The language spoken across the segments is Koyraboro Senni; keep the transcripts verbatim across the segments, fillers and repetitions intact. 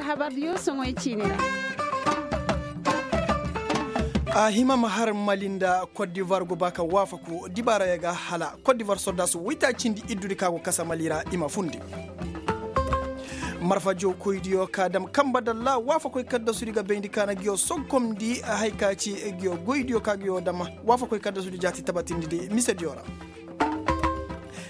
Habar diyo soŋoy ciini ra. A hima ma har mali nda kot divar go ba ka waafaku dibaarayo ga hala kot divar soddaasu waytaacindi iddudi ka go kasa mali ra i ma fundi. Marfa jookoydiyo ka dam kamba dalla waafakoy kaddasudi ga bayndi ka na ngiyo sogkomndi. Hay ka ci ngiyo goydiyo ka ngiyo dam waafakoy kaddasudi jaati tabatindi di misediyo ra.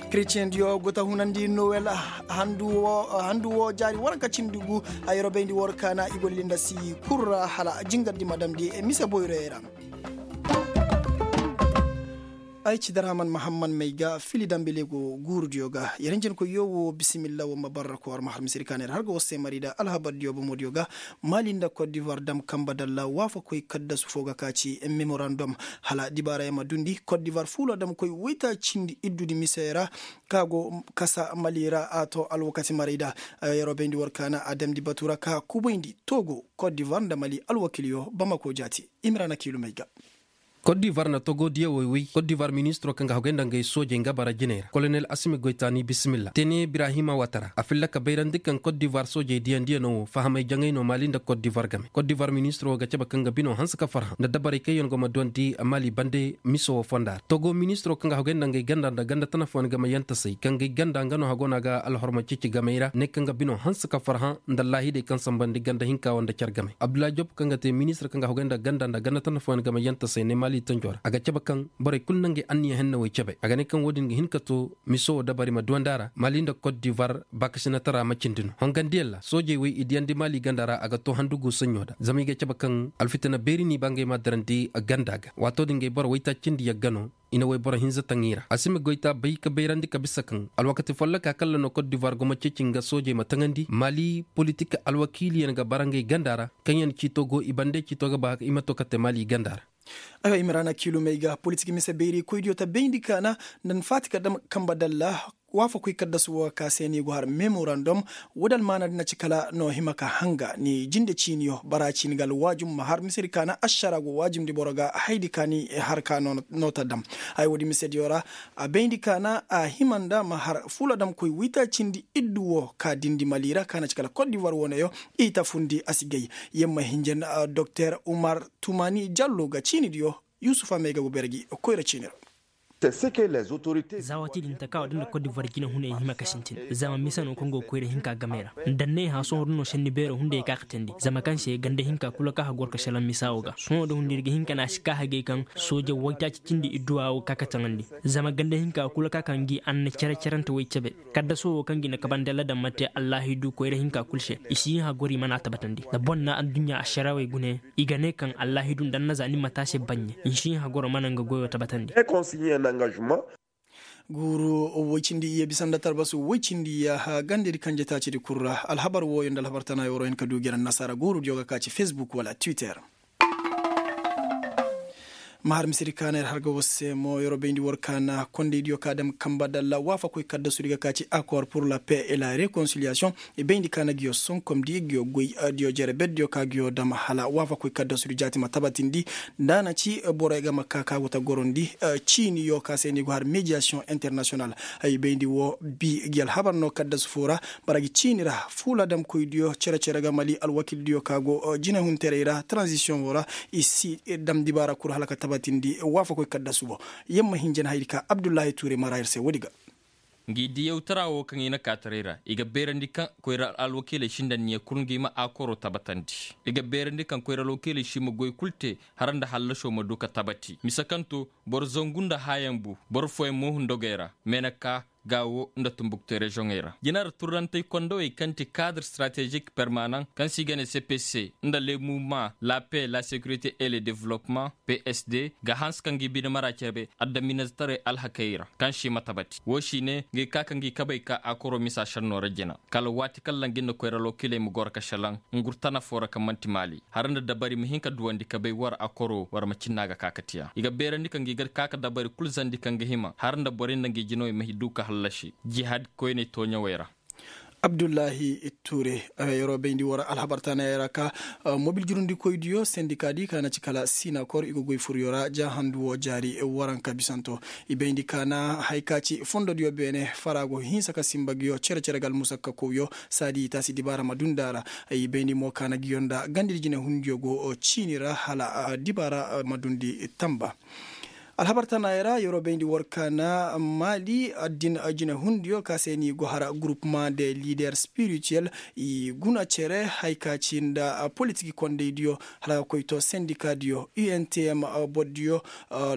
Kretiyendiyo go ta hunandi nowel handu wo jaari waranka cindi gu. Ay robayndi war kaana i go lilinda si kul ra hala jingardi ma damndi mise boyroyey ra. Ay ci darhaman mahamman may ga fili dambelego guurudiyo ga yer hinjankoyyo wo bisimilla wo ma barra ko war ma har misiri kaana yer har ga war se mari nda alhabardiyo bomodiyo ga. Mali nda kot divar dam kamba dalla waafakoy kaddasu fo ga ka ci memorandom hala dibaarayo ma dundi kot divar fuula damkoy waytaacindi iddudi misey ra. Ka go kasa mali ra a to alwakati maray da. Yeroo bayndi war kaana a damndi batu ra ka kubayndi togo kot divar nda mali alwakiiliyo bamako jaati. Imrana kiilumey ga. Kot divar na togo diyawey woy kot divar ministiroo kaŋ ga hagay nda ngey soojey nga bara jiney ra kolonel asimi goytaani bisimilla tene birahima watara a filla ka bayrandi kaŋ kot divar soojey diyandiyanoo wo fahamay jaŋay no mali nda kot divar game kot divar ministiroo ga cabe kaŋ ga binoo hanse ka farhã nda dabarey kaŋ yaŋ go ma duwandi mali bande miso wo fonda ra togo ministiroo kaŋ ga hagay nda ngey ganda nda ganda tana fooyaŋ game yantasey kaŋ gay ganda nga no hago no a ga alhorma ceeci gamey ra ne kaŋ ga binoo hanse ka farhã nda allaahidey kaŋ sambandi ganda hinka wo nda care gamey abdullahi job kaŋ ga te ministir kaŋ ga hagay nda ganda nda ganda tana fooyaŋ game yantasey ne mali tanjo ra a ga cabe kaŋ borey kulu na ngey anniya hennawey cabe a ga ne kaŋ wo-din ga hin ka to miso wo dabari ma duwandi a ra mali nda kot divar baakasinatara ma cindi no hongandiyaŋ ra soojey wey i diyandi mali ganda ra a ga to handugu saɲɲo da zama i ga cabe kaŋ alfitina beeri n'i ba ngey ma darandi ganda ga waatoo din ngey boro waytaacindi yagga no i na wayboro hinza taŋ i ra a si ma goy ta bay ka bayrandi ka bisa kaŋ alwakati folloka kaŋ ra no kot divoir go ma ceeci nga soojey ma taŋandi mali politik alwakiiliyaŋ ga bara ngey ganda ra kaŋ yaŋ ciito go i bande ciito ga ba i ma to ka te mali ganda ra. Aywa i ma ra na kiilumey ga politik mise beeri koydiyo ta bayndi kaana nda na faati ka dam kamba dalla waafakoy kaddasu wo ka se ni go har memorandum. Woodi almaana din na ci kala no hima ka hanga ni jinde ciiniyo bara ciini ga alwaajum ma har misedi kaana ašara go waajumndi boro ga haydi ka ni har ka no ta dam. Haya woodi misediyo ra a bayndi kaana a hima nda ma har fuula damkoy waytaacindi iddu wo ka dindi mali ra ka na ci kala kot divoir woneyo i ta fundi a si gay. Yer ma hinja nda doktor umar tumani jallo ga ciinidiyo. Yusufa may ga go beere gi koyra ciini ra. Za waati din taka wo da nda kot divoir jinahunay hima ka sintin zama mise no kaŋ go koyra hinka gamey ra. Nda n'ay hã sohõ da no senni beero hunday ka ka teendi zama kaŋ se ganda hinka kulu kaŋ hagor ka šelaŋ misa wo ga sohõ da hunday ir ga hin ka ne a si ka hagay kaŋ sooje waytaaci cindi idduwa wo ka ka taŋandi. Zama ganda hinka kulu kaŋ a kaŋ gi a na cere-cerente way cabe. Kaddaso wo kaŋ gi na kabandi alla daŋ ma te allaahidu koyra hinka kulu se i si hin hagor i mana a tabatandi nda boŋ na adduɲɲa ašarawey gune. I ga ne kaŋ allaahidu nda annaza ni ma te a se baɲɲe. Nsiiha goro mana nga goyo tabatandi. Guuru woy cindi iyye bisa nda talbasu woy cindi iyye gandedi kanje taacidi kul ra alhabar wooyo nda alhabar tana yooro hin ka du gere annasaara guurudiyo ga ka ci facebook wala twitter. Ma har misedi kaana yer har ga war se mo yeroo bayndi war kaana kondaydiyo ka dam kamba dalla waafakoy kaddasudi ga ka ci akor pur la paix et la rekonsiliyasiyoŋ. I bayndi ka na ngiyo sonkomdi ngiyo goy diyo jere berdiyo ka ngiyo dam hala waafakoy kaddasudi jaati ma tabatindi. Nda a na ci borey ga ma ka ka go ta gorondi ciiniyo ka se ni go har mediyasiyoŋ internasiyonal. Ay bayndi wo bi ngi alhabar no kaddasu fo ra. Bara ngi ciini ra fuula damkoydiyo cere-cere ga mali alwakildiyo ka go jinehunterey ra taranzisiyoŋo ra. I si dam dibaara kul hala ka tabatindi waafakoy kaddasu bo. Yer ma hinja nda hayadi ka abdullahi tuure mara yer se woodi ga. Ngi diyawtara wo kaŋ i na kaataray ra i ga beerandi kaŋ koyra alwakiiley sindanniya kul ngi ma akoro tabatandi. I ga beerandi kaŋ koyra alwakiiley si ma goy kul te har nda hallasoo ma du ka tabati mise kaŋ to boro zangu nda haayaŋ bu boro fooyaŋ mo hundogey ra. Meenaka gaawo nda tumbuktu reziyoŋey ra jina ra turrantey kondowey kaŋ ti kaadr stratezik permanaŋ kaŋ se i ga ne cpc nda le muvma la paix la securité et le developpement psd ga hanse ka ngi bine mara cebe addaminazitaray alhakey ra kaŋ se i ma tabati woo si ne ngi ka ka ngi kabey ka akoro misa šennoo ra jina kala waati kaŋ ra ngi nda koyra alwakiiley ma goro ka šelaŋ ngur tana foo ra kaŋ man'ti maali har nda dabari ma hin ka duwandi kabey war akoro war ma cinna ga ka ka tiya i ga beerandi ka ngi ga ka ka dabari kul zandi kaŋ ga hima har nda borey nda ngi jinawey ma du ka hallasi jihad koyney tooɲawey ra. Abdullahi ture. Yeroo bayndi war alhabar taanayey ra ka mobil jurundikoydiyo sendikaadi ka na ci kala sinakor i go goy furyo ra ja handu woo jaari waranka bisanto. I bayndi ka na haya ka ci fondodiyo beene fara go hinsa ka sinba nguyo cere-cere ga almusakka kowyo saadi i taasi dibaara ma dund'a ra. I bayndi mo ka na nguyo nda gandadi jinehundiyo go ciini ra hala dibaara ma dundi tanba. Alhabar tanaayey ra yeroo bayndi war ka na maali addin jinehundiyo ka se ni go har gurupuma de lider spirituel i guna cere haya ka ci nda politik kondaydiyo hala ga koy to sendikaadiyo untm bordiyo,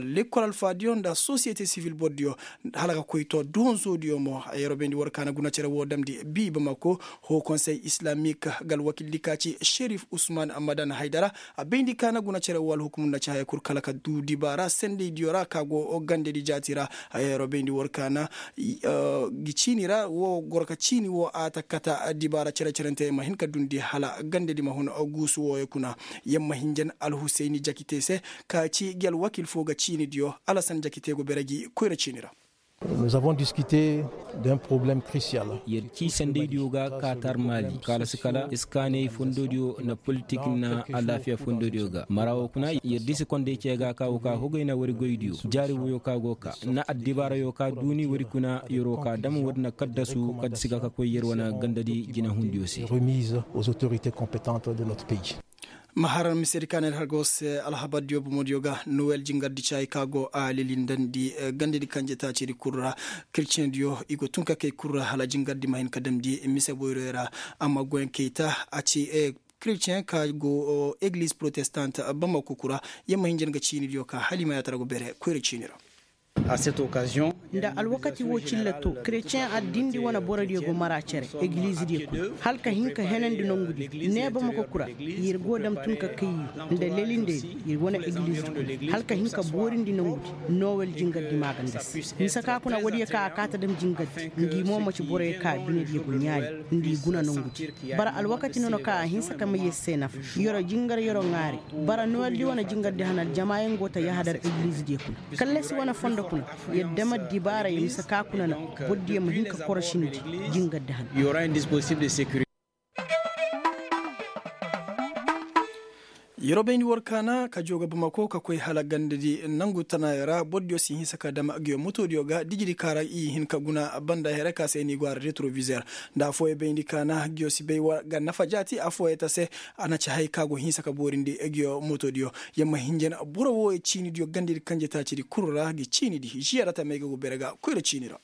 lekkol alfaadiyo nda sosiyete sivil bordiyo hala ga koy to duhonsoodiyo mo. Yeroo bayndi war ka na guna cere woo damndi bii bamako hoo konsey islamik ga alwakildi ka ci sherif usman madan haydara. A bayndi ka na guna cere woo alhukumu nda ci haya kul kala ka duu dibaara sendaydiyo ra ka go gandadi jaati ra. Haya yeroo bayndi war ka na gi ciini ra woo goro ka ciini woo a ta kata dibaara cere-cerentey ma hin ka dundi hala gandadi ma hun guusu wooyo kuna. Yer ma hinjan alhusayni jakite se ka ci gi alwakil foo ga ciinidiyo alasan jakite go bere gi koyra ciini ra. Yer ci sendaydiyo ga ka tar maali kaalasi kala iskaaney fondodiyo nda politik nda alaafiya fondodiyo ga mara woo kuna yer disi konday cee ga ka woo ka hogay na wari goydiyo jaari woyo ka go ka nda addibaarayo ka duuni wari kuna yeroo ka dam wari na kaddasu kaddasi ga ka koy yer wane gandadi jinehundiyo se. Ma harar misedi ka na ir har go se alhabardiyo bomodiyo ga nowel jingardi caayi ka go a lelindandi gandadi kanje taacidi kul ra. Kretiyeŋdiyo i go tun ka kay kul ra hala jingardi ma hin ka damndi mise boyroyo ra. Amma goyaŋ kay ta a ci kretiyeŋ ka go egliz protestant bamako kul ra. Yer ma hin jan ga ciinidiyo ka hala i ma yaatara go bere koyra ciini ra. Nda alwakati woo cilla to kretiyeŋ addindi wane borodiyo go mara cere eglizidiyo kul hala ka hin ka henandi nongudi. Neebamako kul ra ir go dam tun ka kay ir nda lelindey ir wane egliz kul hala ka hin ka boorindi nongudi. Nowel jingardi maaganda se mise ka kuna woodiyo ka a kaa ta dam jingardi ngi mo maci boroyo ka binediyo go ɲaali nda i guna nongudi. Bara alwakati nono ka a hinsa ka may yer se nafa. Yeroo jingar yeroo ŋaari. Bara noweldi wane jingardi hana aljamaayaŋ go ta yahadar eglizidiyo kuna kallasi wane fondo kuna. Yer dam addibaara yer mise ka kuna na bordiyo ma hin ka korosindi jingardi hana. Yeroo bayndi war kaana ka joo ga bamako ka koy hala gandadi nangu tanaayoo ra bordiyo si hinsa ka dam nguyo motoodiyo ga dijidi kaara i hin ka guna banda here ka se ni go a ra retrovizer. Nda affooyey bayndi kaana nguyo si bay ga nafa jaati affooyey ta se. A na ci hay ka go hinsa ka boorindi nguyo motoodiyo. Yer ma hinjan boro wooyo ciinidiyo gandadi kanje taacidi kul ra gi ciinidi žiyara tamey ga go bere ga koyra ciini ra.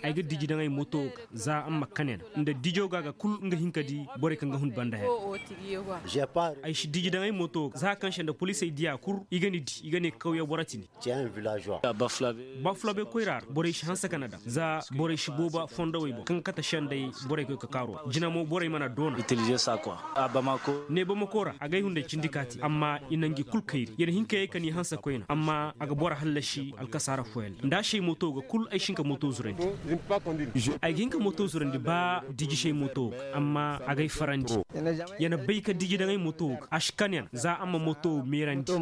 Ay ga diji daŋ ay moto ga za amma kane na nda dijo ga ga kul nga hin ka di borey kaŋ ga hun banda haya. Ay si diji daŋ ay moto ga za kaŋ se nda polisey diya kul i ga ni di i ga ne kawya boro ti ni. Bafulabe koyra ra borey si hanse ka na daŋ za borey si booba fondowey boŋ kaŋ ga kate sendey borey koy ka kaaru ra jina mo borey mana doona. Ne bamako ra a ga ay hunday cindi kaati amma i na ngi kul kayri ya na hin ka yee ka ni hanse koyna amma a ga boro hallasi alkasaara fooyaŋ ra nda a si ay moto ga kul ay si hin ka moto zurandi. Ay ga hin ka moto zurandi ba diji si ay moto ga amma a ga ay farandi. Ya na bay ka diji daŋ ay moto ga a si kan ya na za a ma moto meerandi.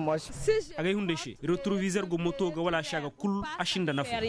A ga ay hunday se retrovizer go moto ga wala a si a ga kul a si nda nafa.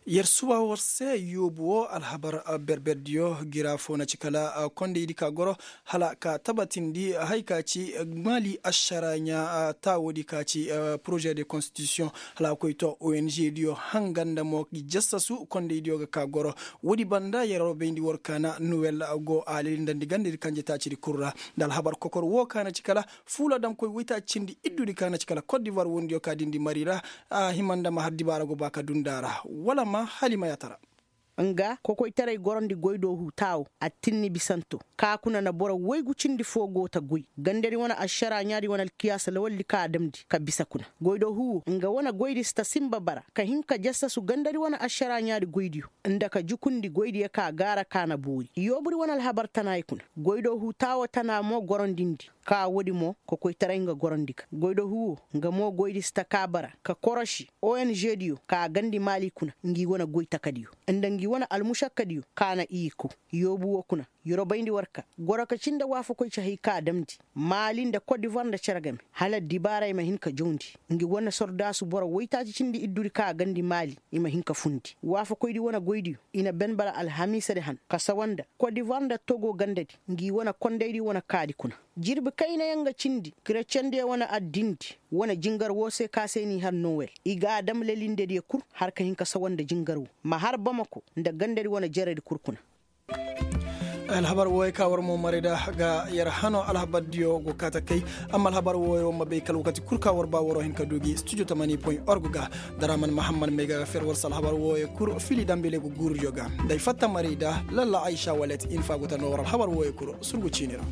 Yer suba war se yoobu wo alhabar berberdiyo gira fo na ci kala kondaydi ka goro hala ka tabatindi hay ka ci maali ašara ɲa taawoodi ka ci poroze de konstitisiyoŋ hala a koy to ong diyo hanga nda mo gi jassasu kondaydiyo ga ka goro. Woodi banda yer wo bayndi war kaana nowel go a lelindandi gandadi kanje taacidi kul ra nda alhabar kokor wo ka na ci kala fuula damkoy woytaaci cindi iddudi ka na ci kala kot divoir wondiyo ka dindi mari ra. A hima nda ma har dibaara go ba ka dunda ra wala ma hala i ma yaatara. Nga kokoytaray gorandi goydoo huu taawo attinni bisanto ka kuna na boro woygu cindi foo go ta goy gandadi wane ašara ɲaadi wane alkiyaasa lawaldi ka a damndi ka bisa kuna. Goydoo huu wo nga wane goydi si ta sinba bara ka hin ka jassasu gandadi wane ašara ɲaadi goydiyo nda ka jukundi goydiyo ka gaara ka na boori yoobudi wane alhabar tanaaya kuna. Goydoo huu taawo tana mo gorondindi. ka woodi mo kokoytaray nga gorandi ga goydohu wo. Nga mo goydi si taka bara ka koroši ong diyo ka a gandi maali kuna ngi wane goytakadiyo nda ngi wane almušakkadiyo ka na i kow. Yoobu wo kuna, yorobayndi war ka goro ka cin nda waafakoy ci hay ka a damndi maali nda kot divuwar nda cere game hala dibaaray ma hin ka jawndi. Ngi wane sordaasu boro woytaaci cindi iddudi ka a gandi maali i ma hin ka fundi waafakoydi wane goydiyo. I na ben bara alhamiisadi han ka sawa nda kot divuwar nda togo gandadi ngi wane kondaydi wane kaadi kuna. Jirbi kaynayaŋ ga cindi kirecendiyo wane addindi wane jingar woo se ka se n'i har nowel i g'a dam lelindediyo kul har ka hin ka sawa nda jingar woo ma har bamako nda gandadi wane jeredi kul kuna. Alhabar wooyo ka war mo maray da ga yer hano alhabardiyo go kaata kay. Amma alhabar wooyo war ma bay kala wakati kul ka war ba waroo hin ka du gi studio tamani point org ga. Daraman mahammad may ga ga fer war se alhabar wooyo kul fili dambele go guurudiyo ga. Nda ay fatta maray da lalla aysa walet infa go ta noo war alhabar wooyo kul surgu ciini ra.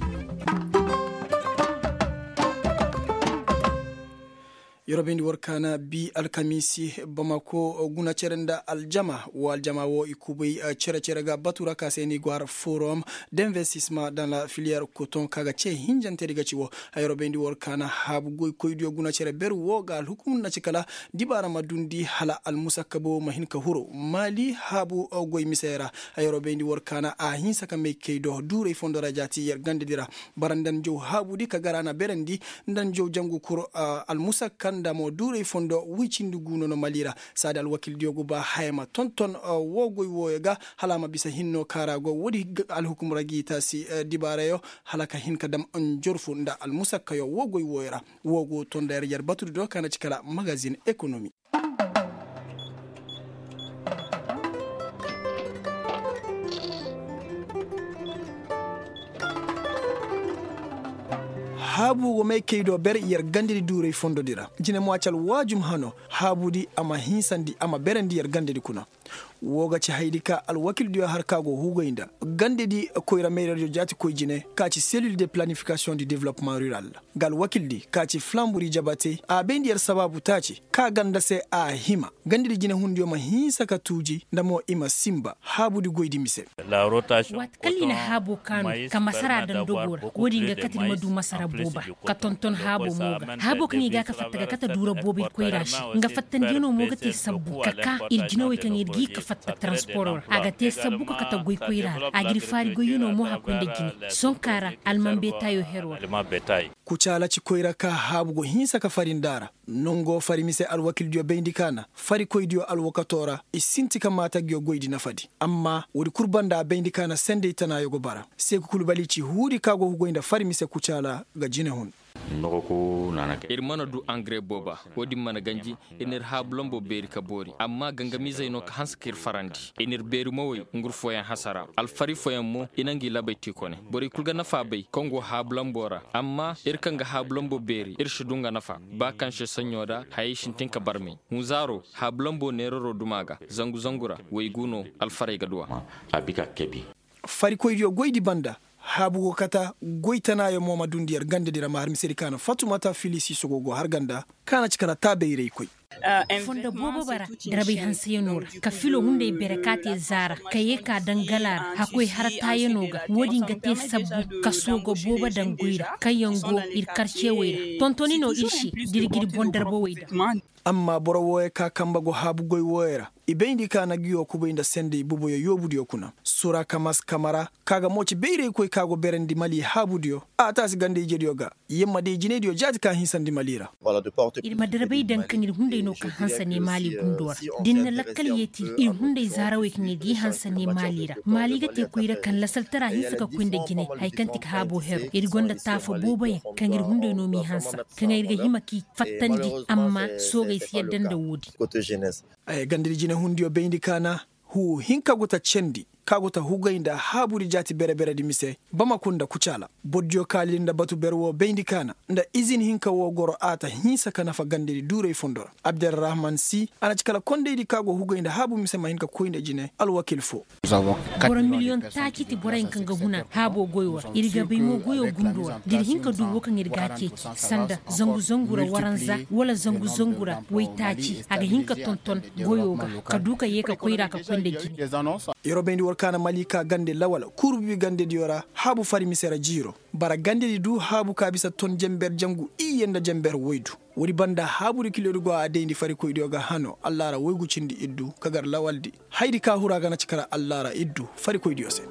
Yer wo bayndi war kaana bi alkamiisi bamako guna cere nda aljama woo aljama woo i kubay cere-cere ga batu ra ka se ni go har forum d'investisma dans la filière coton ka ga ce hinjantedi ga ci woo. Yer wo bayndi war kaana haabu goykoydiyo guna cere ber woo ga alhukumur na ci kala dibaara ma dundi hala almusakkabo ma hin ka huru maali haabu goy misey ra. Yer wo bayndi war kaana a hinsa ka may kay do duuray fondo ra jaati yer gandedi ra. Bara nda njaw haabudi ka gar a na berandi nda njaw jangu kur almusakka nda mo duuray fondo woy cindi gu no no mali ra. Saadi alwakildiyo go ba haya ma tonton woo goy wooyo ga hala a ma bisa hinno kaara go woodi alhukum ra g'i taasi dibaarayo hala ka hin ka dam njorfu nda almusakkayo woo goy wooyo ra. Woo go tonda yer yer batudi do ka na ci kala magazin ekonomi. Haabu go may kay do ber yer gandedi duuray fondodi ra jine mo a ci alwaajum hano haabudi a ma hinsandi a ma berandi yer gandedi kuna. Woo ga ci hayadi ka alwakildiyo har ka go hugay nda gandedi koyra mayradiyo jaati koy jine ka ci selil de planifikasiyoŋ di developmaŋ rural. Nga alwakildi ka ci flamburi jabate a bayndi yer sabaabu taaci ka ganda se a hima gandedi jinehundiyo ma hinsa ka tuuji nda mo i ma sinba haabudi goydi mise. Waati kala i na haabo kaanu ka masara daŋ dogoo ra woodin ga kate ir ma du masara booba ka tonton haabo mo ga haabo kaŋ i ga ka fatta ga kate duura booba ir koyra se. Nga fattandiyanoo mo ga te sabbu ka ka ir jinawey kaŋ ir g'i ka fatta taransporoo ra a ga te sabbu ka kate goy koyra ra a g'ir faari goyyanoo mo hakkoy nda jine. Sonkaa ra alman beetaayoo heroo ra. Kucaala ci koyra ka haabu go hinsa ka fari nda a ra. Nongo fari mise alwakildiyo bayndi ka na farikoydiyo alwakatoo ra i sinti ka maatagiyo goydi nafadi. Amma woodi kul banda a bayndi ka na sendey tanaayo go bara. Seeku kul bali ci huudi ka go hugoy nda fari mise kucaala ga jinehun. Ir mana du angare booba. Woodin mana ganji. Ir n'ir haabu lambo beeri ka boori amma gangamiizey no ka hanse k'ir farandi. Ir n'ir beeri mowey ngur fooyaŋ hasara alfari fooyaŋ mo i na ngi labey te kone. Borey kul ga nafa bay kaŋ go haabu lambo ra. Amma ir kaŋ ga haabu lambo beeri ir si du nga nafa. Ba kaŋ se saɲɲo da hayey sintin ka barmey. Hunzaaro haabu lambo neeraro duma ga zangu zangu ra. Waygu no alfarey ga du a. Farikoydiyo goydi banda haabu go kata goy tanaayo mo ma dundi yer gandedi ra ma har misedi ka na fatumata filisi sogo go har ganda ka na ci kala taabayraykoy. Fondo boobo bara darabay hanseyanoo ra ka filo hunday bere ka te zaara ka yee ka daŋ gala ra hakkoy har taayanoo ga woodin ga te sabbu ka soogo boobo daŋ goy ra kaŋyaŋ go ir karcewey ra tontoni no ir se da ir g'ir boŋ darbawey daŋ. Amma boro wooyo ka kambe go haabu goy wooyo ra i bayndi ka na nguyo kubay nda sendey boboyo yoobudiyo kuna sura kamas kamara ka ga mo ci bayraykoy ka go berandi mali haabudiyo a taasi ganda ijediyo ga. Yer ma day jinaydiyo jaati ka hinsandi mali ra. Ir ma darbay daŋ kaŋ ir hunday no ka hanse ne maali gundo ra. Da ir na lakkal yeeti ir hunday zaarawey kaŋ ir g'i hanse ne maali ra maali ga te koyra kaŋ lasaltara hinsa ka koy nda jinay haya kaŋ ti ka haabo hero ir gonda taafa booboyaŋ kaŋ ir hunday no m'i hanse kaŋ ir ga hima k'i fattandi. Amma soogey si yadda nda woodin. Gandadi jinay hundiyo bayndi kaana huu hinka go ta cendi ka go ta hugay nda haabudi jaati bere-beredi mise bamako nda kucaala. Bordiyo kaalidi nda batu bere woo bayndi kaana nda izin hinka woo goro a ta hinsa ka nafa gandadi duuray fondo ra. Abderrahman si a na ci kala kondaydi ka go hugay nda haabu mise ma hin ka koy nda jine alwakil foo. Boro miliyoŋ taaci ti boroyaŋ kaŋ ga huna haabo goyo ra ir ga bay mo goyo gundo ra da ir hin ka du woo kaŋ ir g'a ceeci sanda zangu zangu ra waranza wala zangu zangu ra waytaaci a ga hin ka tonton goyo ga ka du ka yee ka koyra ka koy nda jine. Yeroo bayndi. Ka na maliika gande lawal kurbi gandediyo ra haabu fari mise ra jiiro. Bara gandedi du haabu ka bisa ton jenber jangu iyye nda jenber woydu. Woodi banda haabu di kiliyo di go a dayndi farikoydiyo ga hano allaara woygu cindi iddu ka gar lawal di. Haydi ka huru a ga na cika ra allaara iddu farikoydiyo se.